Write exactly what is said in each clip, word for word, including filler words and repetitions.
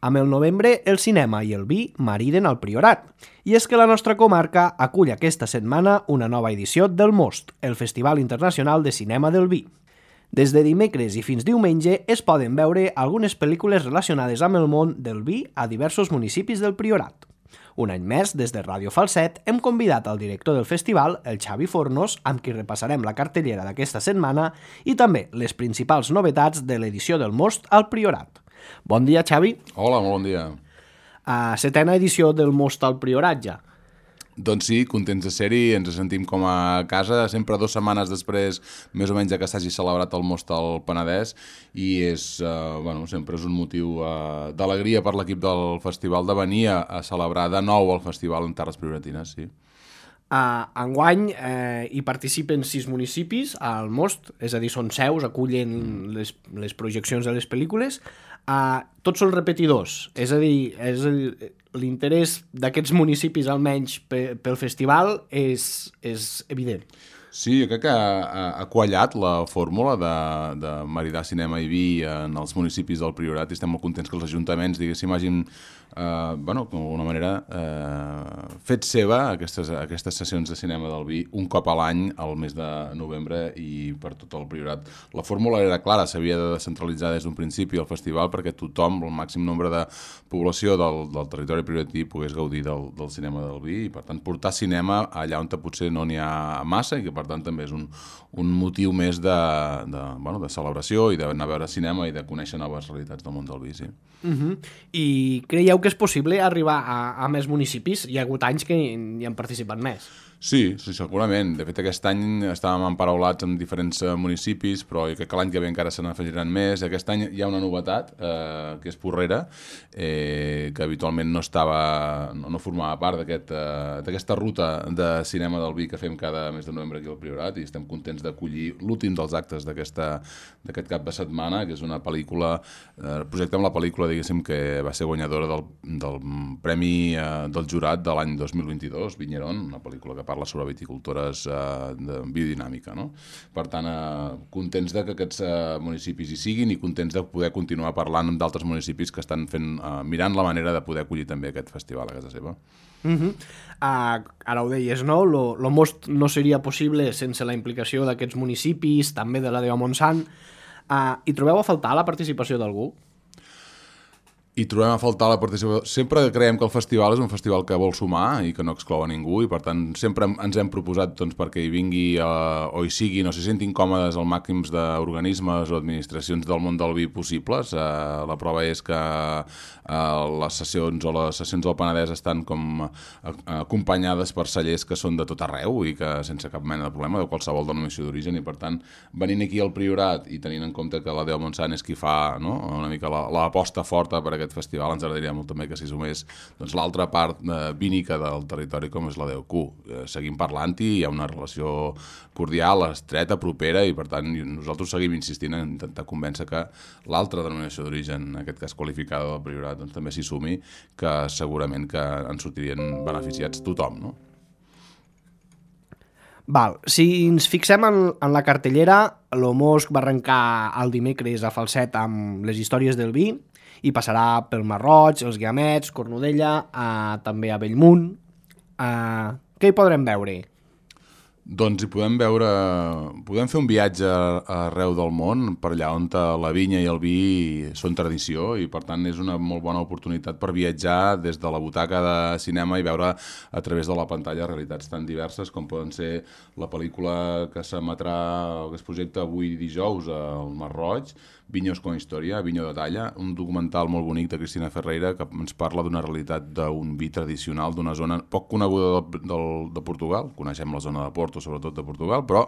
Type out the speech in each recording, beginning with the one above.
Amb el novembre, el cinema i el vi mariden al Priorat. I és que la nostra comarca acull aquesta setmana una nova edició del Most, el Festival Internacional de Cinema del Vi. Des de dimecres i fins diumenge es poden veure algunes pel·lícules relacionades amb el món del vi a diversos municipis del Priorat. Un any més, des de Ràdio Falset, hem convidat al director del festival, el Xavi Fornos, amb qui repassarem la cartellera d'aquesta setmana i també les principals novetats de l'edició del Most al Priorat. Bon dia, Xavi. Hola, molt bon dia. Uh, setena edició del Most al Priorat, ja. Doncs sí, contents de ser-hi, ens sentim com a casa, sempre dues setmanes després, més o menys, que s'hagi celebrat el Most al Penedès, i és, uh, bueno, sempre és un motiu uh, d'alegria per l'equip del festival de venir a, a celebrar de nou el festival en Terres Prioratines, sí. Uh, enguany eh, hi participen sis municipis al Most, és a dir, són seus, acullen les, les projeccions de les pel·lícules. Uh, tots són repetidors, és a dir, és l'interès d'aquests municipis, almenys pe, pel festival, és, és evident. Sí, jo crec que ha, ha quallat la fórmula de, de maridar cinema i vi en els municipis del Priorat i estem molt contents que els ajuntaments, diguéssim, hagin, eh, bueno, d'alguna manera, eh, fet seva aquestes, aquestes sessions de cinema del vi un cop a l'any al mes de novembre i per tot el Priorat. La fórmula era clara, s'havia de descentralitzar des d'un principi el festival perquè tothom, el màxim nombre de població del, del territori prioratí pogués gaudir del, del cinema del vi i, per tant, portar cinema allà on potser no n'hi ha massa i que, per tant, també és un, un motiu més de, de, bueno, de celebració i d'anar a veure cinema i de conèixer noves realitats del món del vi, sí. Uh-huh. I creieu que és possible arribar a, a més municipis? Hi ha hagut anys que hi han participat més. Sí, sí, segurament. De fet, aquest any estàvem emparaulats en diferents uh, municipis, però jo crec que l'any que ve encara se n'afegiran més. Aquest any hi ha una novetat, eh, que és Porrera, eh, que habitualment no estava, no, no formava part d'aquesta uh, ruta de cinema del vi que fem cada mes de novembre aquí al Priorat i estem contents d'acollir l'últim dels actes d'aquest cap de setmana, que és una pel·lícula, eh, projecte amb la pel·lícula, diguéssim, que va ser guanyadora del, del Premi eh, del Jurat de l'any dos mil vint-i-dos, Vinyeron, una pel·lícula que parla sobre viticultores eh, de biodinàmica, no? Per tant, eh, contents de que aquests eh, municipis hi siguin i contents de poder continuar parlant amb d'altres municipis que estan fent, eh, mirant la manera de poder acollir també aquest festival a casa seva. Uh-huh. uh, ara ho deies, no? Lo, lo Most no seria possible sense la implicació d'aquests municipis, també de la de Montsant. Uh, hi trobeu a faltar la participació d'algú? I trobem a faltar la participació. Sempre creiem que el festival és un festival que vol sumar i que no exclou a ningú i per tant sempre ens hem proposat doncs, perquè hi vingui eh, o hi siguin o s'hi sentin còmodes el màxim d'organismes o administracions del món del vi possibles. Eh, la prova és que eh, les sessions o les sessions del Penedès estan com eh, acompanyades per cellers que són de tot arreu i que sense cap mena de problema de qualsevol denominació d'origen i per tant venint aquí al Priorat i tenint en compte que la Déu Montsant és qui fa, no? Una mica l'aposta forta per aquest festival, ens agradaria molt també que s'hi sumés doncs, l'altra part eh, vínica del territori com és la D O Q. Eh, seguim parlant-hi, hi ha una relació cordial, estreta, propera i per tant nosaltres seguim insistint en intentar convèncer que l'altra denominació d'origen, en aquest cas qualificada del Priorat, doncs, també s'hi sumi, que segurament que en sortirien beneficiats tothom, no? Val, si ens fixem en, en la cartellera, l'Omosk va arrencar el dimecres a Falset amb les històries del vi i passarà pel Marroig, els Guiamets, Cornudella, eh, també a Bellmunt. Eh, què hi podrem veure? Doncs hi podem veure, podem fer un viatge arreu del món, per allà on la vinya i el vi són tradició i per tant és una molt bona oportunitat per viatjar des de la butaca de cinema i veure a través de la pantalla realitats tan diverses com poden ser la pel·lícula que s'emetrà o que es projecta avui dijous al Marroig, Vinyos con història, Vinyo de talla, un documental molt bonic de Cristina Ferreira que ens parla d'una realitat d'un vi tradicional d'una zona poc coneguda de, de, de Portugal, coneixem la zona de Porto sobretot de Portugal, però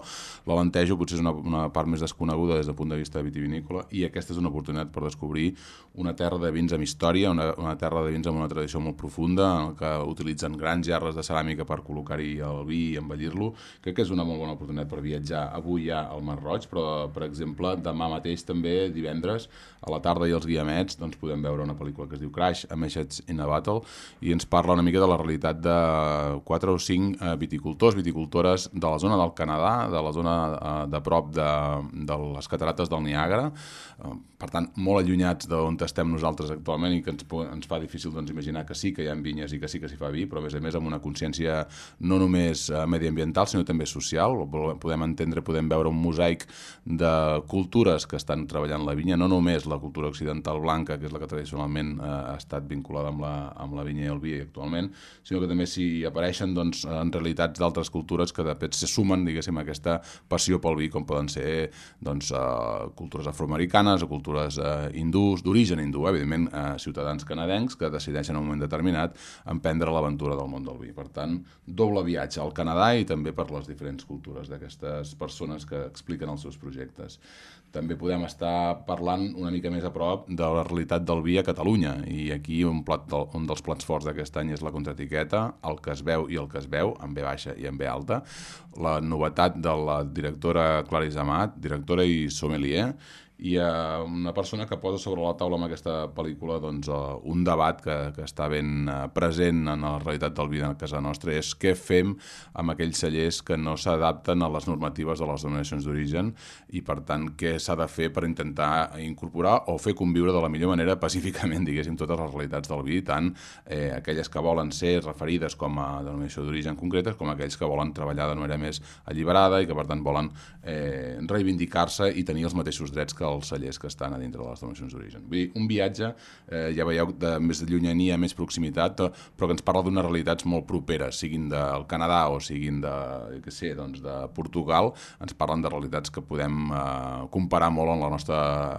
l'Alentejo potser és una, una part més desconeguda des del punt de vista vitivinícola i aquesta és una oportunitat per descobrir una terra de vins amb història, una, una terra de vins amb una tradició molt profunda en què utilitzen grans gerres de ceràmica per col·locar-hi el vi i embellir-lo. Crec que és una molt bona oportunitat per viatjar avui ja al Mar Roig, però per exemple demà mateix també també divendres, a la tarda i els guiamets, doncs podem veure una pel·lícula que es diu Crash, A Message in a Battle, i ens parla una mica de la realitat de quatre o cinc eh, viticultors, viticultores de la zona del Canadà, de la zona eh, de prop de, de les catarates del Niàgara, eh, per tant, molt allunyats d'on estem nosaltres actualment i que ens, ens fa difícil doncs, imaginar que sí que hi ha vinyes i que sí que s'hi fa vi, però a més a més amb una consciència no només eh, mediambiental, sinó també social. Podem entendre, podem veure un mosaic de cultures que estan treballant la vinya, no només la cultura occidental blanca, que és la que tradicionalment eh, ha estat vinculada amb la, amb la vinya i el vi actualment, sinó que també s'hi apareixen doncs, en realitats d'altres cultures que de fet se sumen, diguéssim, a aquesta passió pel vi, com poden ser doncs, eh, cultures afroamericanes o cultures eh, hindús, d'origen hindú, eh, evidentment eh, ciutadans canadencs que decideixen en un moment determinat emprendre l'aventura del món del vi. Per tant, doble viatge al Canadà i també per les diferents cultures d'aquestes persones que expliquen els seus projectes. També podem estar parlant una mica més a prop de la realitat del vi a Catalunya, i aquí un, plat del, un dels plats forts d'aquest any és la contraetiqueta, el que es veu i el que es veu, en ve baixa i en ve alta, la novetat de la directora Clarissa Amat, directora i sommelier, i uh, una persona que posa sobre la taula amb aquesta pel·lícula doncs, uh, un debat que, que està ben uh, present en la realitat del vi a casa nostra, és què fem amb aquells cellers que no s'adapten a les normatives de les denominacions d'origen i, per tant, què s'ha de fer per intentar incorporar o fer conviure de la millor manera pacíficament, diguéssim, totes les realitats del vi, tant eh, aquelles que volen ser referides com a denominació d'origen concretes com aquells que volen treballar de manera més alliberada i que, per tant, volen eh, reivindicar-se i tenir els mateixos drets que els cellers que estan a dintre de les denominacions d'origen. Vull dir, un viatge, eh, ja veieu, de més de llunyania, més proximitat, però que ens parla d'unes realitats molt properes, siguin del Canadà o siguin de, què sé, doncs de Portugal, ens parlen de realitats que podem eh, comparar molt en la nostra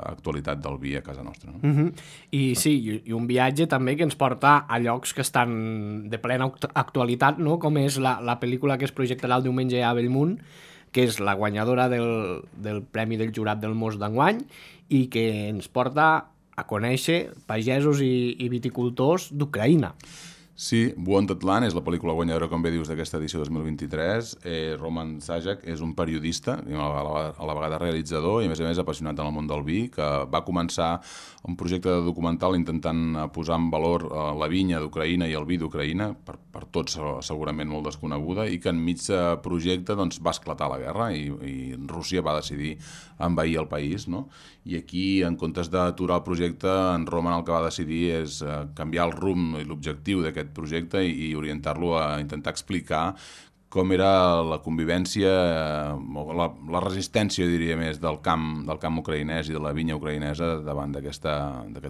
actualitat del vi a casa nostra. No? Mm-hmm. I sí, i un viatge també que ens porta a llocs que estan de plena actualitat, no? Com és la, la pel·lícula que es projectarà el diumenge a Bellmunt, que és la guanyadora del, del Premi del Jurat del Most d'enguany i que ens porta a conèixer pagesos i, i viticultors d'Ucraïna. Sí, Wounded Land és la pel·lícula guanyadora, com bé dius, d'aquesta edició dos mil vint-i-tres. Eh, Roman Sajak és un periodista, a la, a la vegada realitzador i, a més a més, apassionat en el món del vi, que va començar un projecte de documental intentant posar en valor eh, la vinya d'Ucraïna i el vi d'Ucraïna, per, per tots segurament molt desconeguda, i que enmig de projecte doncs, va esclatar la guerra i, i Rússia va decidir envair el país, no? I aquí, en comptes d'aturar el projecte, en Roman el que va decidir és eh, canviar el rumb i l'objectiu d'aquest projecte i, i orientar-lo a intentar explicar com era la convivència, la, la resistència, diria més, del camp, del camp ucraïnès i de la vinya ucraïnesa davant d'aquest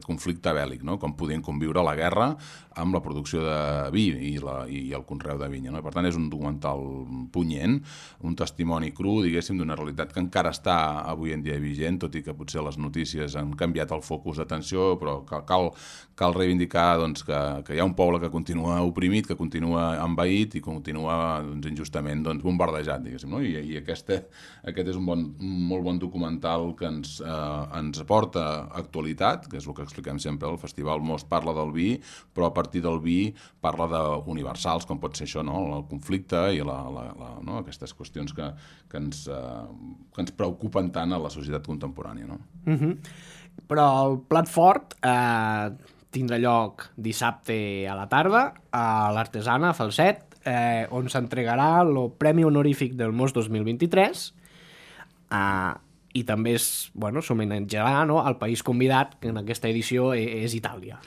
conflicte bèl·lic, no? Com podien conviure la guerra amb la producció de vi i, la, i el conreu de vinya. No? Per tant, és un documental punyent, un testimoni cru, diguéssim, d'una realitat que encara està avui en dia vigent, tot i que potser les notícies han canviat el focus d'atenció, però cal, cal, cal reivindicar doncs, que, que hi ha un poble que continua oprimit, que continua envaït i continua doncs, injustament doncs, bombardejat, diguéssim, no? I, i aquesta, aquest és un, bon, un molt bon documental que ens, eh, ens aporta actualitat, que és el que expliquem sempre, el Festival Most parla del vi, però a partir del vi parla d'universals, com pot ser això, no? El conflicte i la, la, la, no? Aquestes qüestions que, que, ens, eh, que ens preocupen tant a la societat contemporània. No? Mm-hmm. Però el plat fort eh, tindrà lloc dissabte a la tarda a l'Artesana, a Falset, Eh, on s'entregarà el Premi Honorífic del Most dos mil vint-i-tres eh, i també es, bueno, s'homenatjarà, no, al país convidat, que en aquesta edició és Itàlia.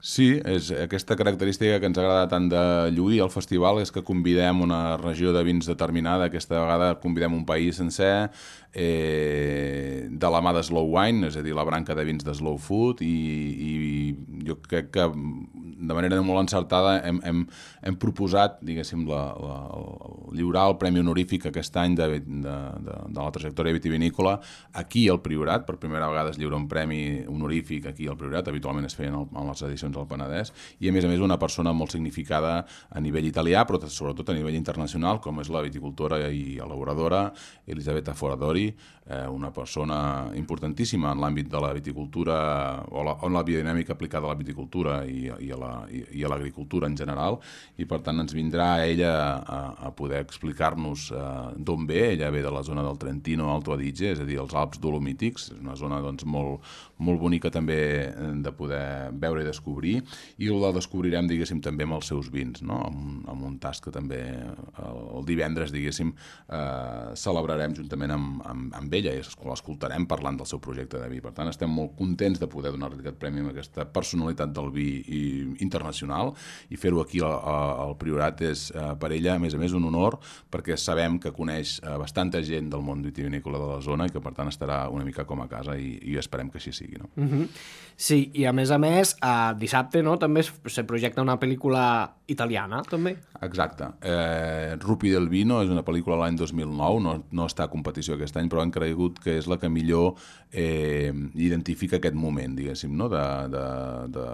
Sí, és aquesta característica que ens agrada tant de lluir al festival, és que convidem una regió de vins determinada, aquesta vegada convidem un país sencer, eh, de la mà de Slow Wine, és a dir, la branca de vins de Slow Food, i, i jo crec que de manera molt encertada hem, hem, hem proposat, diguéssim, la, la, el lliurar el Premi Honorífic aquest any de, de, de, de la trajectòria vitivinícola aquí al Priorat. Per primera vegada es lliura un premi honorífic aquí al Priorat, habitualment es feien en les edicions del Penedès, i a més a més una persona molt significada a nivell italià, però sobretot a nivell internacional, com és la viticultora i elaboradora Elisabetta Foradori, eh, una persona importantíssima en l'àmbit de la viticultura o la, o la biodinàmica aplicada a la viticultura i, i a la i, i a l'agricultura en general, i per tant ens vindrà ella a, a poder explicar-nos uh, d'on ve. Ella ve de la zona del Trentino Alto Adige, és a dir, els Alps Dolomítics, és una zona doncs, molt, molt bonica també de poder veure i descobrir, i la descobrirem, diguéssim, també amb els seus vins, no? amb, amb un tast que també el, el divendres, diguéssim, eh, celebrarem juntament amb, amb, amb ella, i l'escoltarem parlant del seu projecte de vi. Per tant, estem molt contents de poder donar-li aquest premi a aquesta personalitat del vi i, internacional, i fer-ho aquí al, al Priorat és eh, per ella, a més a més, un honor, perquè sabem que coneix eh, bastanta gent del món vitivinícola de la zona i que, per tant, estarà una mica com a casa, i, i esperem que així sigui. No? Mm-hmm. Sí, i a més a més, eh, dissabte no, també se projecta una pel·lícula italiana, també. Exacte. Eh, Rupi del Vino és una pel·lícula l'any dos mil nou, no, no està a competició aquest any, però han cregut que és la que millor eh, identifica aquest moment, diguéssim, no? de, de, de,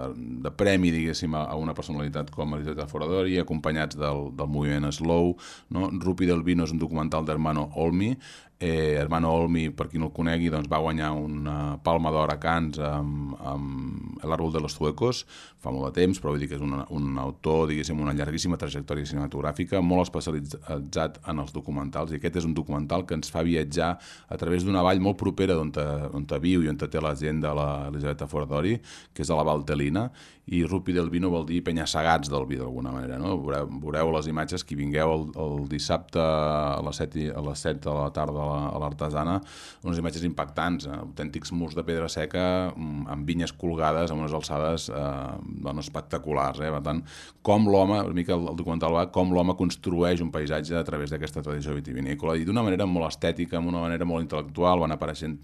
de premi, diguéssim, a, a una personalitat com Elisabetta Foradori, acompanyats del, del moviment Slow. No? Rupi del Vino és un documental d'Hermano Olmi. Eh, Hermano Olmi, per qui no el conegui, doncs va guanyar una Palma d'Or a Cannes amb, amb El árbol de los Zuecos fa molt de temps, però vull dir que és un, un autor, diguéssim, una llarguíssima trajectòria cinematogràfica, molt especialitzat en els documentals, i aquest és un documental que ens fa viatjar a través d'una vall molt propera d'on viu i on té la gent de l'Elisabetta Foradori, que és a la Valtellina, i Rupi del Vino vol dir penya-segats del vi, d'alguna manera. No? Veureu, veureu les imatges, qui vingueu el, el dissabte a les set, a les set de la tarda a l'Artesana, unes imatges impactants, eh? Autèntics murs de pedra seca amb vinyes colgades a unes alçades eh, bueno, espectaculars. Eh? Per tant, com l'home, una mica el, el documental va, com l'home construeix un paisatge a través d'aquesta tradició vitivinícola, i d'una manera molt estètica, amb una manera molt intel·lectual, van apareixent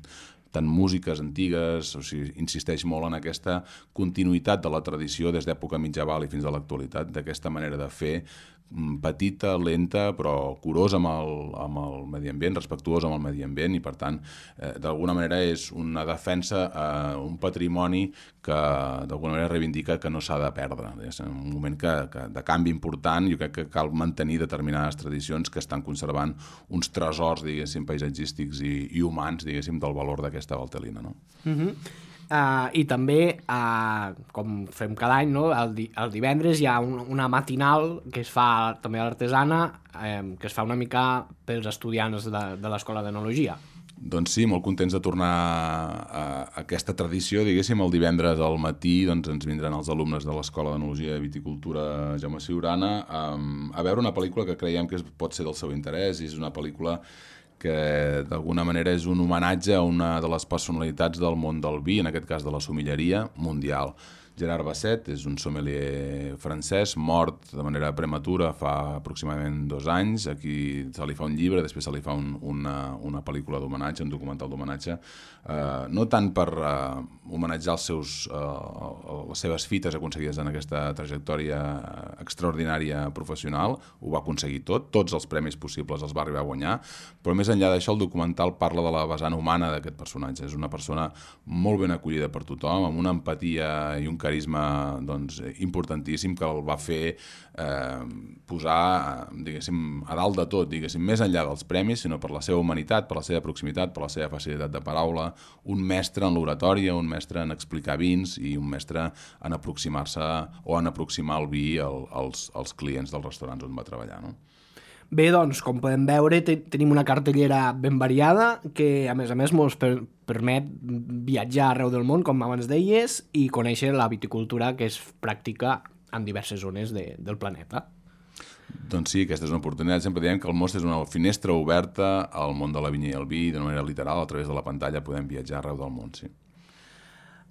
tant músiques antigues, o sigui, insisteix molt en aquesta continuïtat de la tradició des d'època mitjaval i fins a l'actualitat, d'aquesta manera de fer petita, lenta, però curosa amb el, amb el medi ambient, respectuosa amb el medi ambient, i per tant, eh, d'alguna manera és una defensa a eh, un patrimoni que d'alguna manera reivindica que no s'ha de perdre. És un moment que, que, de canvi important. Jo crec que cal mantenir determinades tradicions que estan conservant uns tresors, diguéssim, paisatgístics i, i humans, diguéssim, del valor d'aquesta Valtellina. No? Mm-hmm. Uh, I també, uh, com fem cada any, no? el, di el divendres hi ha un, una matinal que es fa també a l'Artesana, eh, que es fa una mica pels estudiants de, de l'Escola d'Enologia. Doncs sí, molt contents de tornar a, a aquesta tradició, diguéssim. El divendres al matí doncs, ens vindran els alumnes de l'Escola d'Enologia i Viticultura Jaume Ciurana um, a veure una pel·lícula que creiem que pot ser del seu interès, i és una pel·lícula que d'alguna manera és un homenatge a una de les personalitats del món del vi, en aquest cas de la sommelleria mundial. Gerard Basset és un sommelier francès, mort de manera prematura fa aproximadament dos anys. Aquí se li fa un llibre, després se li fa un, una, una pel·lícula d'homenatge, un documental d'homenatge, eh, no tant per eh, homenatjar els seus, eh, les seves fites aconseguides en aquesta trajectòria extraordinària professional, ho va aconseguir tot, tots els premis possibles els va arribar a guanyar, però més enllà d'això el documental parla de la vessant humana d'aquest personatge. És una persona molt ben acollida per tothom, amb una empatia i un carisma doncs, importantíssim, que el va fer eh, posar diguéssim, a dalt de tot, diguéssim, més enllà dels premis, sinó per la seva humanitat, per la seva proximitat, per la seva facilitat de paraula, un mestre en l'oratòria, un mestre en explicar vins i un mestre en aproximar-se o en aproximar el vi al, als, als clients dels restaurants on va treballar. No? Bé, doncs, com podem veure, te tenim una cartellera ben variada que, a més a més, ens per permet viatjar arreu del món, com abans deies, i conèixer la viticultura que es practica en diverses zones de, del planeta. Doncs sí, aquesta és una oportunitat. Sempre diem que el Most és una finestra oberta al món de la vinya i el vi, d'una manera literal, a través de la pantalla podem viatjar arreu del món, sí.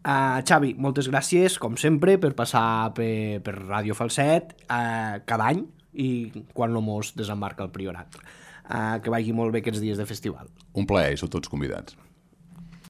Uh, Xavi, moltes gràcies, com sempre, per passar per, per Ràdio Falset uh, cada any, i quan el Most desembarca al Priorat. Uh, que vagi molt bé aquests dies de festival. Un plaer, i sou tots convidats.